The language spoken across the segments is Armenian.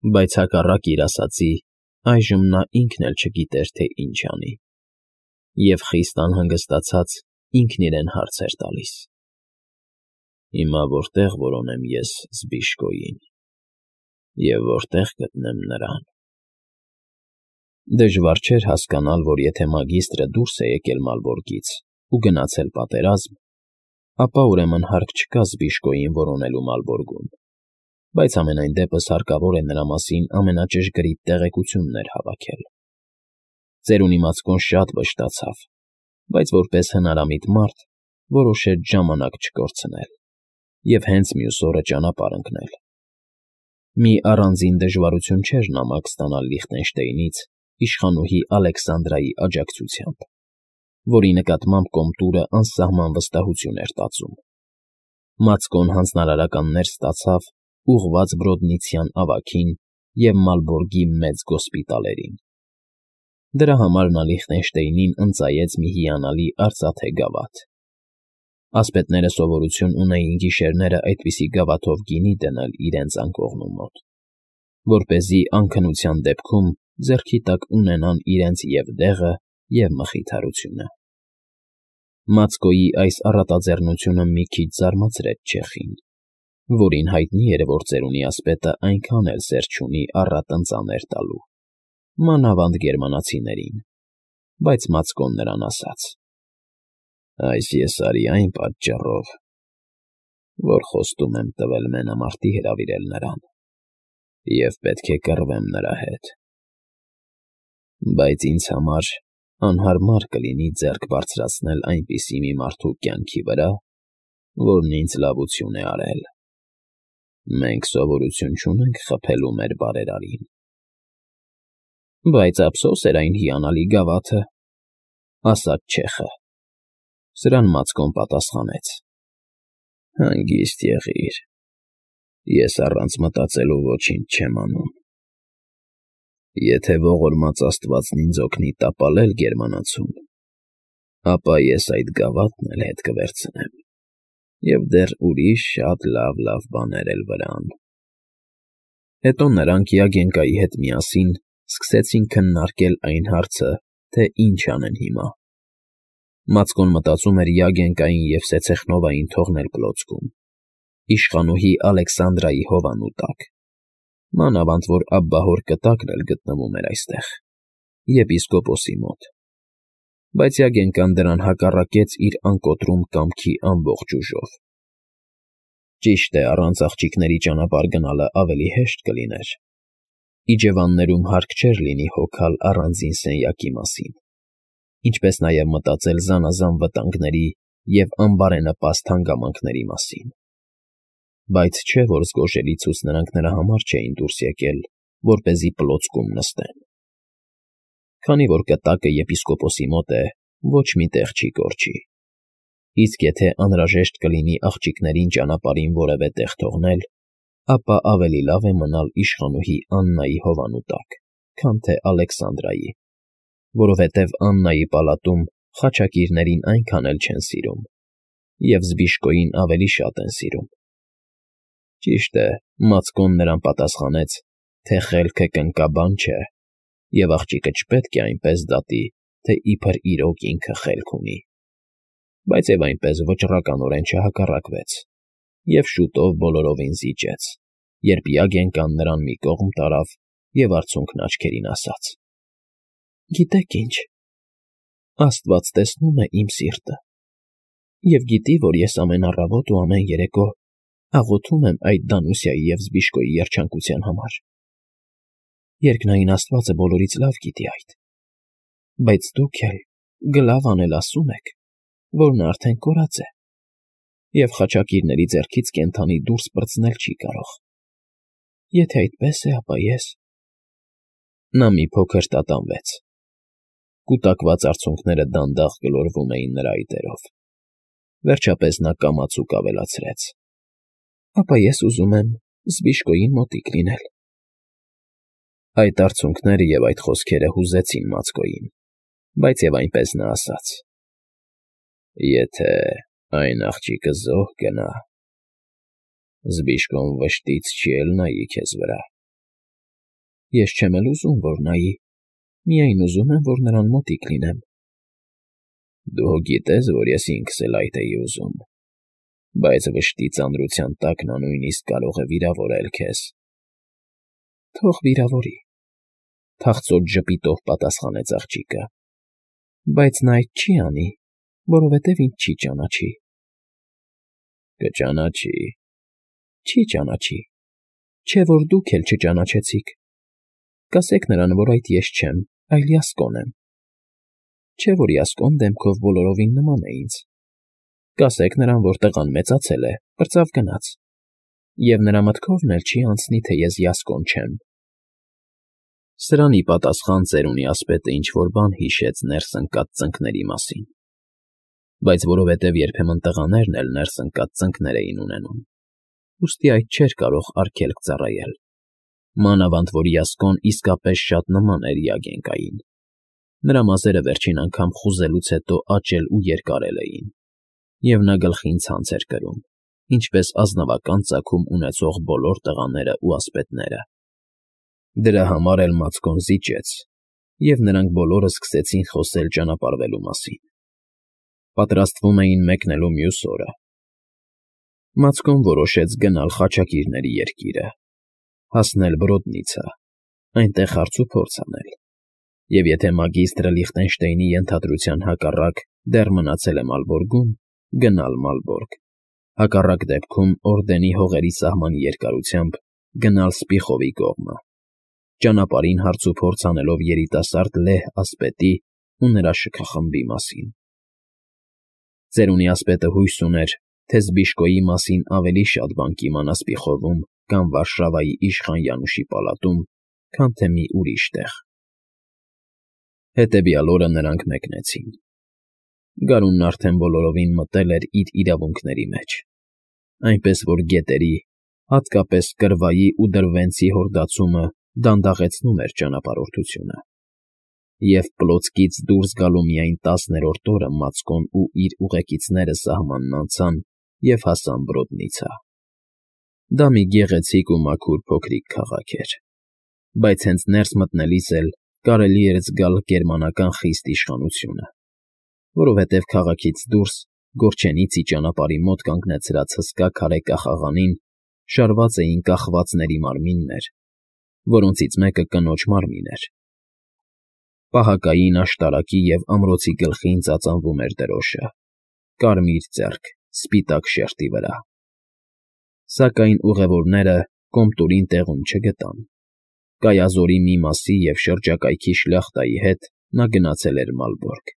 Բայց հակառակ իր ասածի, այժմ նա ինքն էլ չգիտեր, թե ինչ անի, և խիստ անհանգստացած ինքն իրեն հարց էր տալիս. «Հիմա որտե՞ղ որոնեմ ես Զբիշկոյին և որտե՞ղ գտնեմ նրան»։ Դժվար չէր հասկանալ, որ եթե մագիստրը դուրս է եկել Մալբորգից ու գնացել պատերազմ, ապա ուրեմն հարկ չկա Զբիշկոյին որոնելու Մալբորգում, բայց համենայն դեպս հարկավոր է նրա մասին ամենաճշգրիտ տեղեկություններ հավաքել։ Ծերունի Մացկոն շատ վշտացավ, բայց որպես հնարամիտ մարդ որոշեց ժամանակ չկորցնել և հենց մյուս օրը ճանապարհ ընկնել։ Մի առանձին դժվարություն չէր նամակ ստանալ Լիխտենշտեյնից իշխանուհի Ալեքսանդրայի աջակցությամբ, որի նկատմամբ Կոմտուրը անսահման վստահություն էր տածում։ Մացկոն հանձնարարականներ ստացավ ուղղված Բրոդնիցյան ավագին և Մալբորգի մեծ գոսպիտալերին։ Դրա համար նա Լիխտենշտեյնին ընծայեց մի հիանալի արծաթե գավաթ։ Ասպետները սովորություն ունեին գիշերները այդպիսի գավաթով գինի դնել իրենց անկողնու մոտ, որպեսզի անքնության դեպքում ձեռքի տակ ունենան իրենց և դեղը, և մխիթարությունը։ Մացկոյի այս առատաձեռնությունը մի քիչ զարմացրեց չեխին, որին հայտնի էր, որ ծերունի ասպետը այնքան էլ սեր չունի առատ ընծաներ տալու, մանավանդ գերմանացիներին, բայց Մացկոն նրան ասաց. «Այս ես արի այն պատճառով, որ խոստում եմ տվել մենամարտի հրավիրել նրան և պետք է կռվեմ նրա հետ, բայց ինձ համար անհարմար կլինի ձեռք բարձրացնել այնպիսի մի մարդու կյանքի վրա, որն ինձ լավություն է արել։ Մենք սովորություն չունենք խաբելու մեր բարերարին»։ «Բայց ափսոս էր այն հիանալի գավաթը», ֊ ասաց չեխը։ Սրան Մացկոն պատասխանեց. «Հանգիստ եղիր, ես առանց մտածելու ոչինչ չեմ անում։ Եթե ողորմած աստվածն ինձ օգնի տապալել գերմանացուն, ապա ես այդ գավաթն էլ հետ կվերցնեմ և դեռ ուրիշ շատ լավ բաներ էլ վրան»։ Հետո նրանք Յագենկայի հետ միասին սկսեցին քննարկել այն հարցը, թե ինչ անեն հիմա։ Մացկոն մտածում էր Յագենկային և Սեցեխնովային թողնել Պլոցկում, իշխանուհի Ալեքսանդրայի հովանու տակ, մանավանդ որ աբբահոր կտակն էլ գտնվում էր այստեղ, եպիսկոպոսի մոտ, բայց Յագենկան դրան հակառակեց իր անկոտրում կամքի ամբողջ ուժով։ Ճիշտ է, առանց աղջիկների ճանապարհ գնալը ավելի հեշտ կլիներ։ Իջևաններում հարկ չէր լինի հոգալ առանձին սենյակի մասին, ինչպես նաև մտածել զանազան վտանգների և անբարենպաստ հանգամանքների մասին։ Բայց չէ՞ որ զգոժելիցուց նրանք նրա համար չէին դուրս եկել, որպեսզի Պլոցկում նստեն։ Քանի որ կտակը եպիսկոպոսի մոտ է, ոչ մի տեղ չի կորչի, իսկ եթե անհրաժեշտ կլինի աղջիկներին ճանապարհին որևէ տեղ թողնել, ապա ավելի լավ է մնալ իշխանուհի Աննայի հովանու տակ, քան թե Ալեքսանդրայի, որովհետև Աննայի պալատում խաչակիրներին այնքան էլ չեն սիրում և Զբիշկոյին ավելի շատ են սիրում։ Ճիշտ է, Մացկոն նրան պատասխանեց, թե խելքը կնկաբան չէ, և աղջիկը չպետք է այնպես դատի, թե իբր իրոք ինքը խելք ունի, բայց և այնպես վճռականորեն չհակառակվեց և շուտով բոլորովին զիջեց, երբ Յագենկան նրան մի կողմ տարավ և արցունքն աչքերին ասաց. «Գիտեք ինչ, աստված տեսնում է իմ սիրտը և գիտի, որ ես ամեն առավոտ ու ամեն երեկո աղոթում եմ այդ Դանուսիայի և Զբիշկոյի երջանկության համար։ Երկնային Աստվածը բոլորից լավ գիտի այդ, բայց դուք էլ գլավ անել ասում եք, որ նա արդեն կորած է և խաչակիրների ձեռքից կենդանի դուրս պրծնել չի կարող։ Եթե այդպես է, ապա ես…» Նա մի փոքր տատանվեց։ Կուտակված արցունքները դանդաղ գլորվում էին նրա այտերով։ Վերջապես նա կամացուկ ավելացրեց. «Ապա ես ուզում եմ Զբիշկոյին մոտիկ լինել»։ Այդ արցունքները և այդ խոսքերը հուզեցին Մացկոյին, բայց և այնպես նա ասաց. «Եթե այն աղջիկը զոհ գնա, Զբիշկոն վշտից չի էլ նայի քեզ վրա, Ես չեմ էլ ուզում, որ նայի, միայն ուզում եմ, որ նրան մոտիկ լինեմ։ Դու գիտես, որ ես ինքս էլ այդ էի ուզում, բայց վշտի ծանրության տակ նա նույնիսկ կարող է վիրավորել քեզ։ Թող վիրավորի, թախծոտ ժպիտով պատասխանեց աղջիկը, բայց նա այդ չի անի, որովհետև ինձ չի ճանաչի։ Կճանաչի։ Չի ճանաչի, չէ որ դուք էլ չճանաչեցիք։ Կասեք նրան, որ այդ ես չեմ, այլ Յասկոն եմ։ Չէ որ Յասկոն դեմքով բոլորովին նման է ինձ։ Կասեք նրան, որ տղան մեծացել է, պրծավ գնաց, և նրա մտքովն էլ չի անցնի, թե ես Յասկոն չեմ։ Սրան ի պատասխան ծերունի ասպետը ինչ-որ բան հիշեց ներս ընկած ծնկների մասին, բայց որովհետև երբեմն տղաներն էլ ներս ընկած ծնկներ էին ունենում, ուստի այդ չէր կարող արգելք ծառայել, մանավանդ որ Յասկոն իսկապես շատ նման էր Յագենկային։ Նրա մազերը վերջին անգամ խուզելուց հետո աճել ու երկարել էին, և նա գլխին ցանց էր կրում, ինչպես ազնվական ծագում ունեցող բոլոր տղաները ու ասպետները։ Դրա համար էլ Մացկոն զիջեց, և նրանք բոլորը սկսեցին խոսել ճանապարհվելու մասին։ Պատրաստվում էին մեկնելու մյուս օրը։ Մացկոն որոշեց գնալ խաչակիրների երկիրը, հասնել Բրոդնիցը, այնտեղ հարց ու փորձ անել, և եթե մագիստրը Լիխտենշտեյնի ենթադրության հակառակ դեռ մնացել է Մալբորգում, գնալ Մալբորգ, հակառակ դեպքում օրդենի հողերի սահմանի երկարությամբ գնալ Սպիխովի կողմը, ճանապարհին հարց ու փորձ անելով երիտասարդ լեհ ասպետի ու նրա շքախմբի մասին։ Ծերունի ասպետը հույս ուներ, թե Զբիշկոյի մասին ավելի շատ բան կիմանա Սպիխովում կամ Վարշավայի իշխան Յանուշի պալատում, քան թե մի ուրիշ տեղ։ Հետևյալ օրը նրանք մեկնեցին։ Գարունն արդեն բոլորովին մտել էր իր իրավունքների մեջ, այնպես որ գետերի, հատկապես Կրվայի ու Դրվենցի հորդացումը դանդաղեցնում էր ճանապարհորդությունը, և Պլոցկից դուրս գալու միայն 10-րդ օրը Մացկոն ու իր ուղեկիցները սահմանն անցան և հասան Բրոդնիցա։ Դա մի գեղեցիկ ու մաքուր փոքրիկ քաղաք էր, բայց հենց ներս մտնելիս էլ կարելի էր զգալ գերմանական խիստ իշխանությունը, որովհետև քաղաքից դուրս Գորչենիցի ճանապարհի մոտ կանգնեցրած հսկա քարե կախաղանին շարված էին կախվածների մարմիններ, որոնցից մեկը կնոջ մարմին էր։ Պահակային աշտարակի և ամրոցի գլխին ծածանվում էր դրոշը՝ կարմիր ձեռք, սպիտակ շերտի վրա։ Սակայն ուղևորները Կոմտուրին տեղում չգտան։ Կայազորի մի մասի և շրջակայքի շլյախտայի հետ նա գնացել էր Մալբորգ։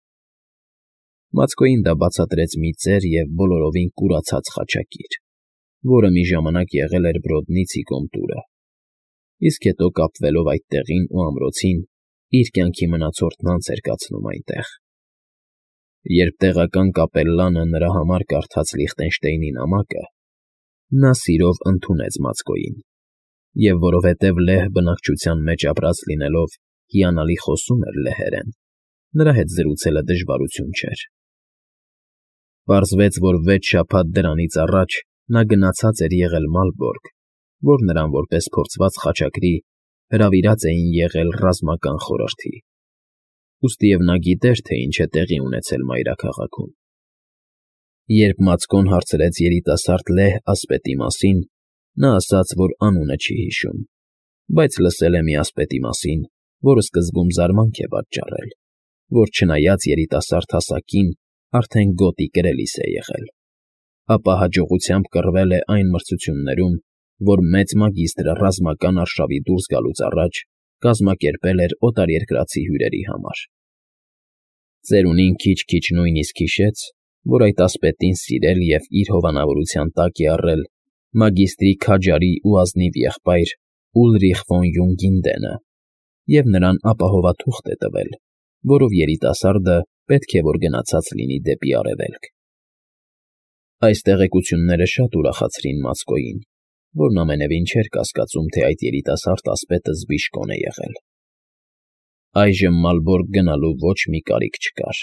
Մացկոյին դա բացատրեց մի ծեր և բոլորովին կուրացած խաչակիր, որը մի ժամանակ եղել էր Բրոդնիցի Կոմտուրը, իսկ հետո կապվելով այդ տեղին ու ամրոցին, իր կյանքի մնացորդն անց էր կացնում այնտեղ։ Երբ տեղական կապելլանը նրա համար կարդաց Լիխտենշտեյնի նամակը, նա սիրով ընդունեց Մացկոյին, և որովհետև լեհ բնակչության մեջ ապրած լինելով հիանալի խոսում էր լեհերեն, նրա հետ զրուցելը դժվարություն չէր։ Պարզվեց, որ 6 շաբաթ դրանից առաջ նա գնացած էր եղել Մալբորգ, որ նրան որպես փորձված խաչակրի հրավիրած էին եղել ռազմական խորհրդի, ուստիև նա գիտեր, թե ինչ է տեղի ունեցել մայրաքաղաքում։ Երբ Մացկոն հարցրեց երիտասարդ լեհ ասպետի մասին, նա ասաց, որ անունը չի հիշում, բայց լսել է մի ասպետի մասին, որը սկզբում զարմանք է պատճառել, որ չնայած երիտասարդ հասակին արդեն գոտի կրելիս է եղել, ապա հաջողությամբ կռվել է այն մրցություններում, որ մեծ մագիստրը ռազմական արշավի դուրս գալուց առաջ կազմակերպել էր օտարերկրացի հյուրերի համար։ Ծերունին քիչ-քիչ նույնիսկ հիշեց, որ այդ ասպետին սիրել և իր հովանավորության տակ է առել մագիստրի քաջարի ու ազնիվ եղբայր Ուլրիխ ֆոն Յունգինդենը և նրան ապահովաթուղթ է տվել, որով երիտասարդը պետք է որ գնացած լինի դեպի Արևելք։ Այս տեղեկությունները շատ ուրախացրին Մացկոյին, որն ամենևին չէր կասկածում, թե այդ երիտասարդ ասպետը Զբիշկոն է եղել։ Այժմ Մալբորգ գնալու ոչ մի կարիք չկար,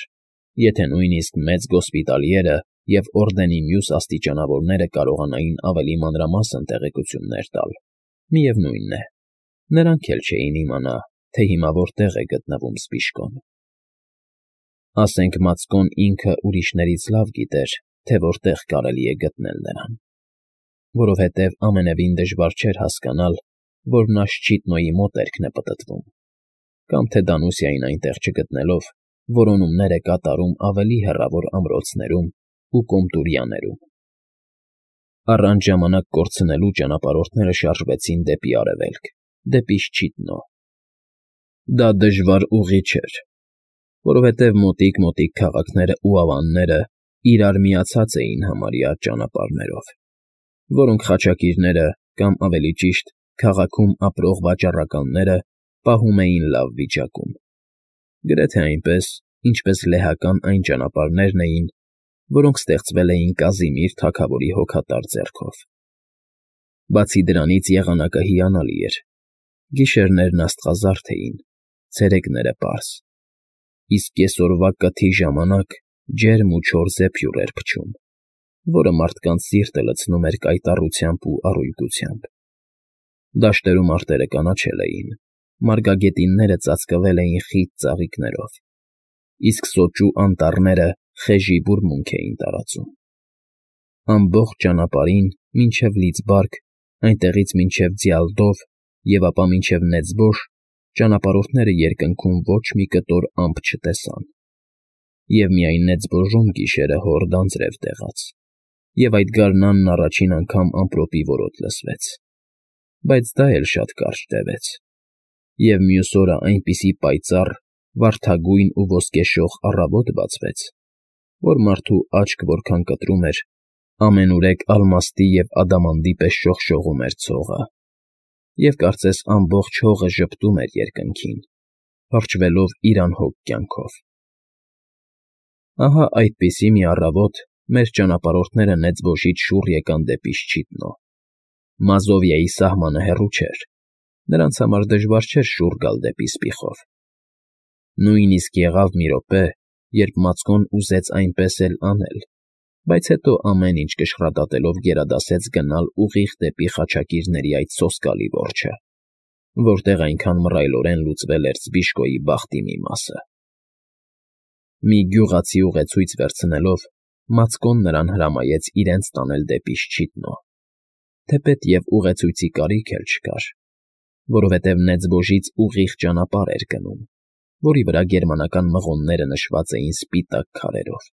եթե նույնիսկ մեծ գոսպիտալիերը և օրդենի մյուս աստիճանավորները կարողանային ավելի մանրամասն տեղեկություններ տալ, միևնույն է, Նրանք էլ չէին իմանա, թե հիմա որտեղ է գտնվում Սպիշկոն։ Ասենք Մացկոն ինքը ուրիշներից լավ գիտեր, թե որտեղ կարելի է գտնել նրան, որովհետև ամենևին դժվար չէր հասկանալ, որ նա Շչիտնոյի մոտերքն է պտտվում, կամ թե Դանուսիային այնտեղ չգտնելով, որոնումներ է կատարում ավելի հեռավոր ամրոցներում ու Կոմտուրյաներում։ Առանց ժամանակ կորցնելու ճանապարհորդները շարժվեցին դեպի արևելք, դեպի Շչիտնո։ Դա դժվար ուղի չէր, որովհետև մոտիկ քաղաքներն ու ավանները իրար միացած էին համարյա ճանապարհներով, որոնք խաչակիրները, կամ ավելի ճիշտ, քաղաքում ապրող վաճառականները պահում էին լավ վիճակում, գրեթե այնպես, ինչպես լեհական այն ճանապարհներն էին, որոնք ստեղծվել էին Կազիմիր թագավորի հոգատար ձեռքով։ Բացի դրանից եղանակը հիանալի էր, գիշերներն աստղազարդ էին, ցերեկները՝ պարզ, իսկ կեսօրվա կթի ժամանակ ջերմ ու չոր զեփյուռ էր փչում, որը մարդկանց սիրտը լցնում էր կայտառությամբ ու առույգությամբ։ Դաշտերում արտերը կանաչել էին, մարգագետինները ծածկվել էին խիտ ծաղիկներով, իսկ սոճու անտառները խեժի բուրմունք էին տարածում։ Ամբողջ ճանապարհին, մինչև Լիծբարկ, այնտեղից մինչև Ձիալդով և ապա մինչև Նեծբոշ ճանապարհորդները երկնքում ոչ մի կտոր ամպ չտեսան, և միայն Նեծբոժում գիշերը հորդ անձրև տեղաց, և այդ գարնանն առաջին անգամ ամպրոպի որոտ լսվեց, բայց դա էլ շատ կարճ տևեց, և մյուս օրը այնպիսի պայծառ, վարդագույն ու ոսկեշող առավոտ բացվեց, որ մարդու աչք որքան կտրում էր, ամենուրեք ալմաստի և ադամանդի պես շողշողում էր ցողը, և կարծես ամբողջ հողը ժպտում էր երկնքին, փախչվելով իր անհոգ կյանքով։ Ահա այդպիսի մի առավոտ մեր ճանապարհորդները Նեծբոշից շուռ եկան դեպի Շչիտնո։ Մազովիայի սահմանը հեռու չէր, նրանց համար դժվար չէր շուռ գալ դեպի Սպիխով։ Նույնիսկ եղավ մի րոպե, երբ Մացկոն ուզեց այնպես էլ անել, բայց հետո ամեն ինչ կշռադատելով գերադասեց գնալ ուղիղ դեպի խաչակիրների այդ սոսկալի որջը, որտեղ այնքան մռայլորեն լուծվել էր Սպիշկոյի բախտի մի մասը։ Մի գյուղացի ուղեցույց վերցնելով, Մացկոն նրան հրամայեց իրենց տանել դեպի Շչիտնո, թեպետ և ուղեցույցի կարիք էլ չկար, որովհետև Նեծբոժից ուղիղ ճանապարհ էր գնում, որի վրա գերմանական մղոնները նշված էին սպիտակ քարերով։